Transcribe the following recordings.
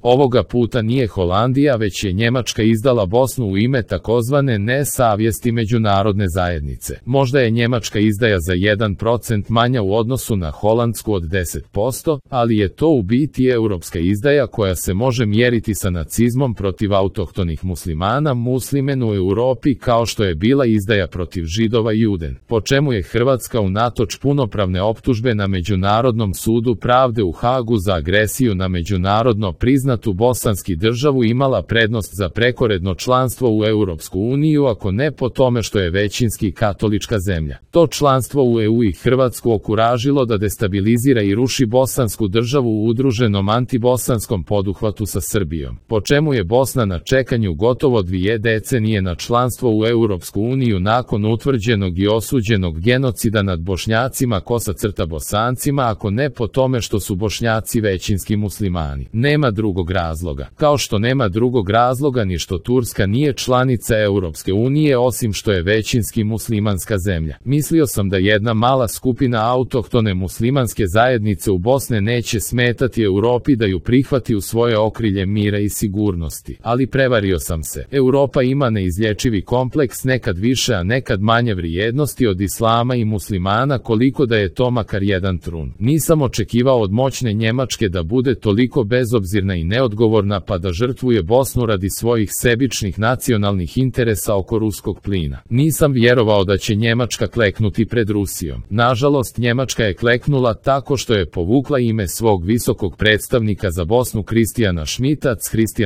Ovoga puta nije Holandija, već je Njemačka izdala Bosnu u ime takozvane nesavjesti međunarodne zajednice. Možda je njemačka izdaja za 1% manja u odnosu na holandsku od 10%, ali je to u biti europska izdaja koja se može mjeriti sa nacizmom protiv autohtonih muslimana, muslimen u Europi, kao što je bila izdaja protiv Židova i Juden, po čemu je Hrvatska unatoč punopravne optužbe na Međunarodnom sudu pravde u Hagu za agresiju na međunarodno priznatu bosanski državu imala prednost za prekoredno članstvo u Europsku uniju, ako ne po tome što je većinski katolička zemlja. To članstvo u EU i Hrvatsku okuražilo da destabilizira i ruši bosansku državu u udruženom antibosanskom poduhvatu sa Srbijom, po čemu je Bosna na čekanju gotovo 2 decenije na članstvo u Europsku uniju nakon utvrđenog i osuđenog genocida nad Bošnjacima / Bosancima, ako ne po tome što su Bošnjaci većinski muslimani. Nema drugog razloga. Kao što nema drugog razloga ni što Turska nije članica Europske unije, osim što je većinski muslimanska zemlja. Mislio sam da jedna mala skupina autohtone muslimanske zajednice u Bosne neće smetati Europi da ju prihvati u svoje okrilje mira i sigurnosti. Ali prevario sam se. Europa ima neizlječivi kompleks, nekad više a nekad manje vrijednosti od islama i muslimana, koliko da je to makar jedan trun. Nisam očekivao od moćne Njemačke da bude toliko bezobzirna i neodgovorna pa da žrtvuje Bosnu radi svojih sebičnih nacionalnih interesa oko ruskog plina. Nisam vjerovao da će Njemačka kleknuti pred Rusijom. Nažalost, Njemačka je kleknula tako što je povukla ime svog visokog predstavnika za Bosnu Kristijana Schmidta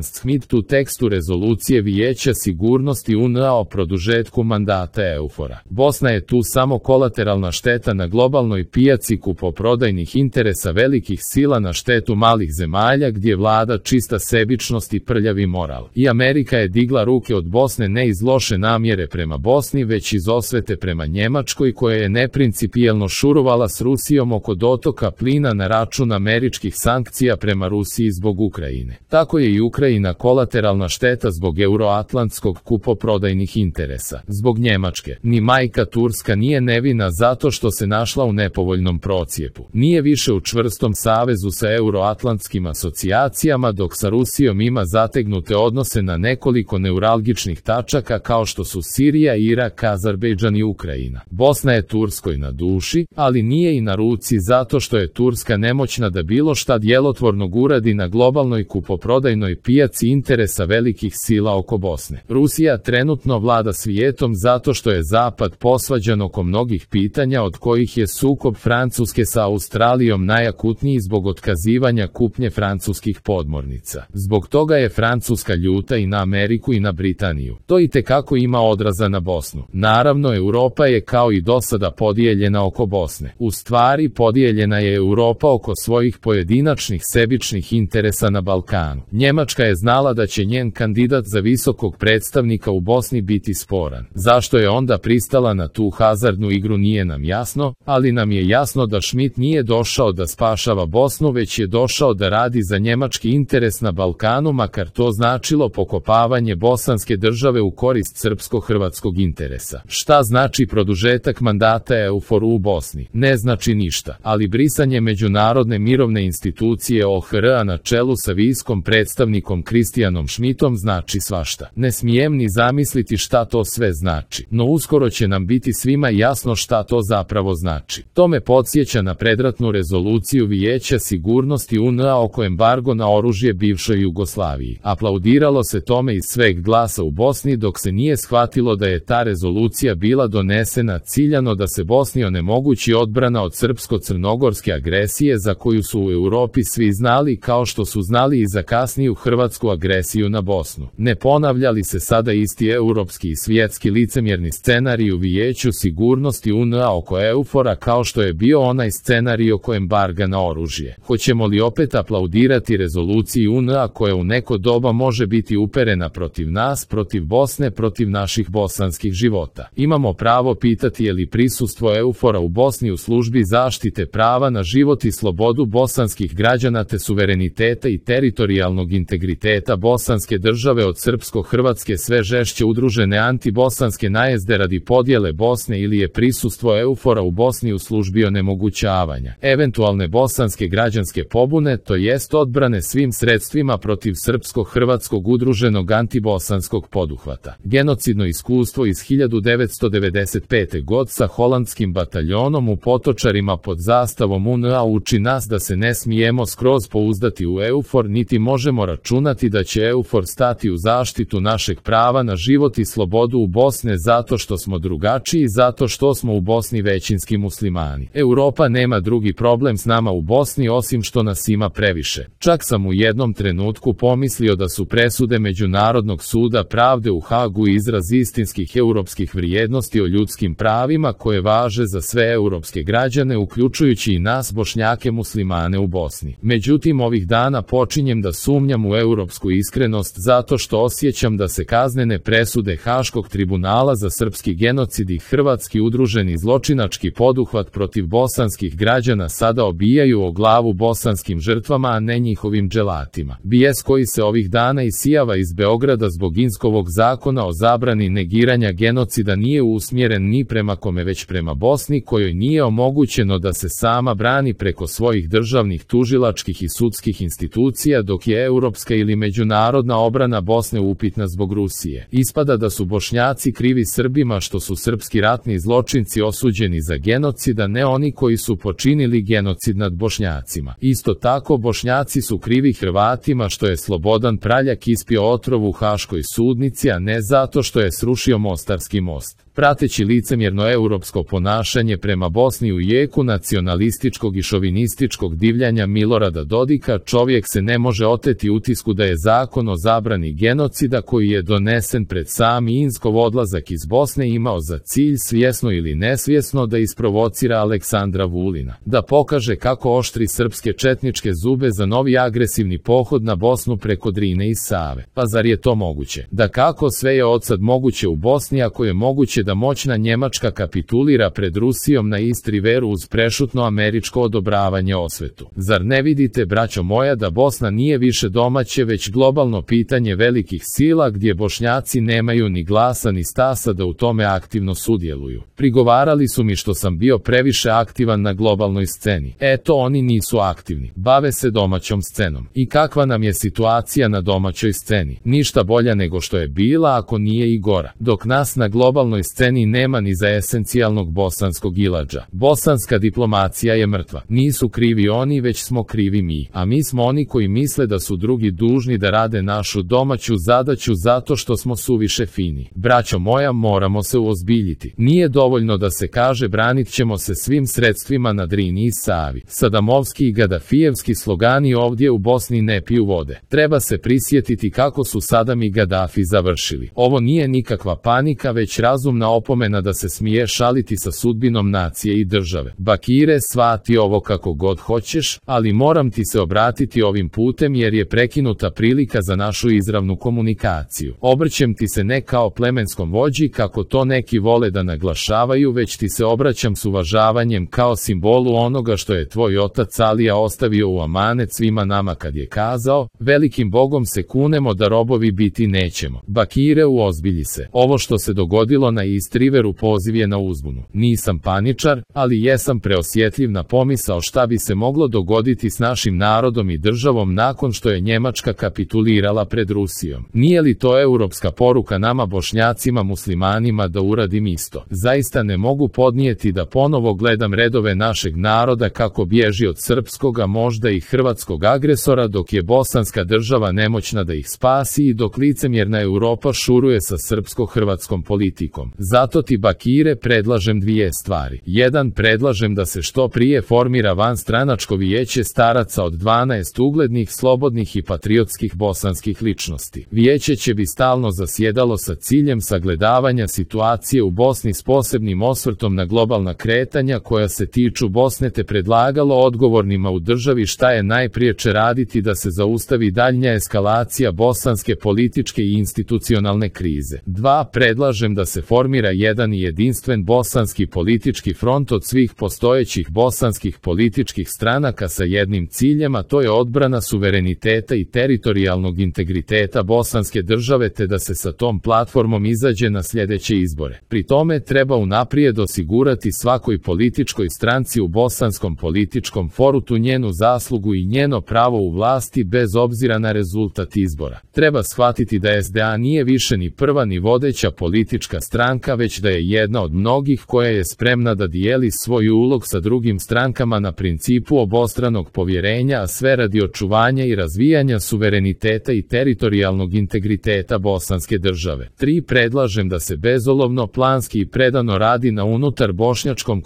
Schmidt u tekstu rezolucije Vijeća sigurnosti UN-a o produžetku mandata EUFOR-a. Bosna je tu samo kolateralna šteta na globalnoj pijaci kupoprodajnih interesa velikih sila na štetu malih zemalja gdje vlada čista sebičnost i prljavi moral. I Amerika je digla ruke od Bosne ne iz loše namjere prema Bosni, već iz osvete prema Njemačkoj, koja je neprincipijelno šurovala s Rusijom oko dotoka plina na račun američkih sankcija prema Rusiji zbog Ukrajine. Tako je i Ukrajina kolateralna šteta zbog euroatlantskog kupoprodajnih interesa. Zbog Njemačke. Ni majka Turska nije nevina zato što se našla u nepovoljnom procijepu. Nije više u čvrstom savezu sa euroatlantskim asocijacijama, dok sa Rusijom ima zategnute odnose na nekoliko neuralgičnih tačaka kao što su Sirija, Irak, Azerbejdžan i Ukrajina. Bosna je Turskoj na duši, ali nije i na ruci zato što je Turska nemoćna da bilo šta djelotvornog uradi na globalnoj kupoprodajnoj pijaci interesa velikih sila oko Bosne. Rusija trenutno vlada svijetom zato što je Zapad posvađan oko mnogih pitanja, od kojih je sukob Francuske sa Australijom najakutniji zbog otkazivanja kupnje francuskih podmornica. Zbog toga je Francuska ljuta i na Ameriku i na Britaniju. To itekako ima odraza na Bosnu. Naravno, Europa je kao i dosada podijeljena oko Bosne. U stvari, podijeljena je Europa oko svojih pojedinačnih sebičnih interesa na Balkanu. Njemačka je znala da će njen kandidat za visokog predstavnika u Bosni biti sporan. Zašto je onda pristala na tu hazardnu igru nije nam jasno, ali nam je jasno da Schmidt nije došao da spašava Bosnu, već je došao da radi za njemački interes na Balkanu, makar to značilo pokopavanje bosanske države u korist srpsko-hrvatskog interesa. Šta znači produžetak mandata EUFOR-u u Bosni? Ne znači ništa, ali brisanje međunarodne mirovne institucije OHR-a na čelu sa viskom predstavnikom Kristijanom Schmidtom znači svašta. Ne smijem ni zamisliti šta to sve znači, no uskoro će nam biti svima jasno šta to zapravo znači. To me podsjeća na predratnu rezoluciju Vijeća sigurnosti UN-a oko embargo na oružje bivšoj Jugoslaviji. Aplaudiralo se tome iz sveg glasa u Bosni, dok se nije shvatilo da je ta rezolucija bila donesena ciljano da se Bosni onemogući odbrana od srpsko-crnogorske agresije za koju su u Europi svi znali, kao što su znali i za kasniju hrvatsku agresiju na Bosnu. Ne ponavlja li se sada isti europski i svjetski licemjerni scenarij u Vijeću sigurnosti UN-a oko EUFOR-a kao što je bio onaj scenarij oko embarga na oružje? Hoćemo li opet aplaudirati rezoluciji UN-a koja u neko doba može biti uperena protiv nas, protiv Bosne, protiv naših bosanskih života? Imamo pravo pitati je li prisustvo EUFOR-a u Bosni u službi zaštite prava na život i slobodu bosanskih građana te suvereniteta i teritorijalnog integriteta bosanske države od srpsko-hrvatske sve žešće udružene antibosanske najezde radi podjele Bosne, ili je prisustvo EUFOR-a u Bosni u službi onemogućavanja eventualne bosanske građanske pobune, to jest odbrane svih svim sredstvima protiv srpsko-hrvatskog udruženog antibosanskog poduhvata. Genocidno iskustvo iz 1995. god sa holandskim bataljonom u Potočarima pod zastavom UNA uči nas da se ne smijemo skroz pouzdati u EUFOR, niti možemo računati da će EUFOR stati u zaštitu našeg prava na život i slobodu u Bosne zato što smo drugačiji, zato što smo u Bosni većinski muslimani. Europa nema drugi problem s nama u Bosni osim što nas ima previše. Čak sam u jednom trenutku pomislio da su presude Međunarodnog suda pravde u Hagu izraz istinskih europskih vrijednosti o ljudskim pravima koje važe za sve europske građane, uključujući i nas Bošnjake muslimane u Bosni. Međutim, ovih dana počinjem da sumnjam u europsku iskrenost zato što osjećam da se kaznene presude Haškog tribunala za srpski genocid i hrvatski udruženi zločinački poduhvat protiv bosanskih građana sada obijaju o glavu bosanskim žrtvama, a ne njihovim dželatima. Bijes koji se ovih dana isijava iz Beograda zbog Inskovog zakona o zabrani negiranja genocida nije usmjeren ni prema kome već prema Bosni, kojoj nije omogućeno da se sama brani preko svojih državnih tužilačkih i sudskih institucija, dok je europska ili međunarodna obrana Bosne upitna zbog Rusije. Ispada da su Bošnjaci krivi Srbima što su srpski ratni zločinci osuđeni za genocid, a ne oni koji su počinili genocid nad Bošnjacima. Isto tako Bošnjaci su krivi Hrvatima što je Slobodan Praljak ispio otrov u Haškoj sudnici, a ne zato što je srušio Mostarski most. Prateći licemjerno europsko ponašanje prema Bosni u jeku nacionalističkog i šovinističkog divljanja Milorada Dodika, čovjek se ne može oteti utisku da je zakon o zabrani genocida koji je donesen pred sami Inskov odlazak iz Bosne imao za cilj, svjesno ili nesvjesno, da isprovocira Aleksandra Vulina, da pokaže kako oštri srpske četničke zube za novi agresivni pohod na Bosnu preko Drine i Save. Pa zar je to moguće? Da kako sve je odsad moguće u Bosni ako je moguće da moćna Njemačka kapitulira pred Rusijom na East Riveru uz prešutno američko odobravanje osvetu? Zar ne vidite, braćo moja, da Bosna nije više domaće već globalno pitanje velikih sila gdje Bošnjaci nemaju ni glasa ni stasa da u tome aktivno sudjeluju? Prigovarali su mi što sam bio previše aktivan na globalnoj sceni. Eto, oni nisu aktivni, bave se domaćom scenom. I kakva nam je situacija na domaćoj sceni? Ništa bolja nego što je bila, ako nije i gora. Dok nas na globalnoj sceni nema ni za esencijalnog bosanskog iladža. Bosanska diplomacija je mrtva. Nisu krivi oni, već smo krivi mi. A mi smo oni koji misle da su drugi dužni da rade našu domaću zadaću zato što smo suviše fini. Braćo moja, moramo se uozbiljiti. Nije dovoljno da se kaže branit ćemo se svim sredstvima na Drini i Savi. Sadamovski i Gadafijevski slogani ovdje u Bosni ne piju vode. Treba se prisjetiti kako su Sadam i Gadafi završili. Ovo nije nikakva panika, već razumna opomena da se smije šaliti sa sudbinom nacije i države. Bakire, shvati ovo kako god hoćeš, ali moram ti se obratiti ovim putem jer je prekinuta prilika za našu izravnu komunikaciju. Obrćem ti se ne kao plemenskom vođi kako to neki vole da naglašavaju, već ti se obraćam s uvažavanjem kao simbolu onoga što je tvoj otac Alija ostavio u amanet svima nama kad je kazao: velikim Bogom se kunemo da robovi biti nećemo. Bakire, uozbilji se. Ovo što se dogodilo na East Riveru poziv je na uzbunu. Nisam paničar, ali jesam preosjetljiv na pomisao šta bi se moglo dogoditi s našim narodom i državom nakon što je Njemačka kapitulirala pred Rusijom. Nije li to europska poruka nama Bošnjacima muslimanima da uradim isto? Zaista ne mogu podnijeti da ponovo gledam redove našeg naroda kako bježi od srpskog, a možda i hrvatskog agresora, dok je bosanska država nemoćna da ih spasi i dok licemjerna Europa šuruje sa srpsko-hrvatskom politikom. Zato ti, Bakire, predlažem dvije stvari. 1. Predlažem da se što prije formira vanstranačko vijeće staraca od 12 uglednih, slobodnih i patriotskih bosanskih ličnosti. Vijeće će bi stalno zasjedalo sa ciljem sagledavanja situacije u Bosni s posebnim osvrtom na globalna kretanja koja se tiču Bosne, te predlagalo odgovornima u državi šta je najpriječe raditi da se zaustavi daljnja eskalacija bosanske političke i institucionalne krize. 2. Predlažem da se formira formira jedan i jedinstven bosanski politički front od svih postojećih bosanskih političkih stranaka sa jednim ciljem, a to je odbrana suvereniteta i teritorijalnog integriteta bosanske države, te da se sa tom platformom izađe na sljedeće izbore. Pri tome treba unaprijed osigurati svakoj političkoj stranci u bosanskom političkom forutu njenu zaslugu i njeno pravo u vlasti bez obzira na rezultat izbora. Treba shvatiti da SDA nije više ni prva ni vodeća politička stranka, već da je jedna od mnogih koja je spremna da dijeli svoj ulog sa drugim strankama na principu obostranog povjerenja, a sve radi očuvanja i razvijanja suvereniteta i teritorijalnog integriteta bosanske države. 3. Predlažem da se bezolovno, planski i predano radi na unutar bošnjačkom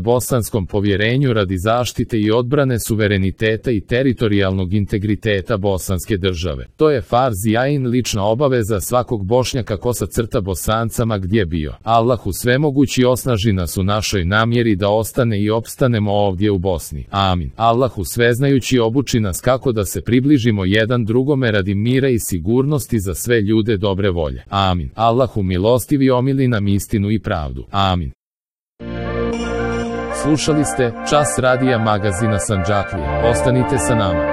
bosanskom povjerenju radi zaštite i odbrane suvereniteta i teritorijalnog integriteta bosanske države. To je farz i ain lična obaveza svakog Bošnjaka Bosancama gdje bio. Allahu svemogući osnaži nas u našoj namjeri da ostane i opstanemo ovdje u Bosni. Amin. Allahu sveznajući obuči nas kako da se približimo jedan drugome radi mira i sigurnosti za sve ljude dobre volje. Amin. Allahu milostivi omili nam istinu i pravdu. Amin. Slušali ste Čas radija magazina Sandžaklija. Ostanite sa nama.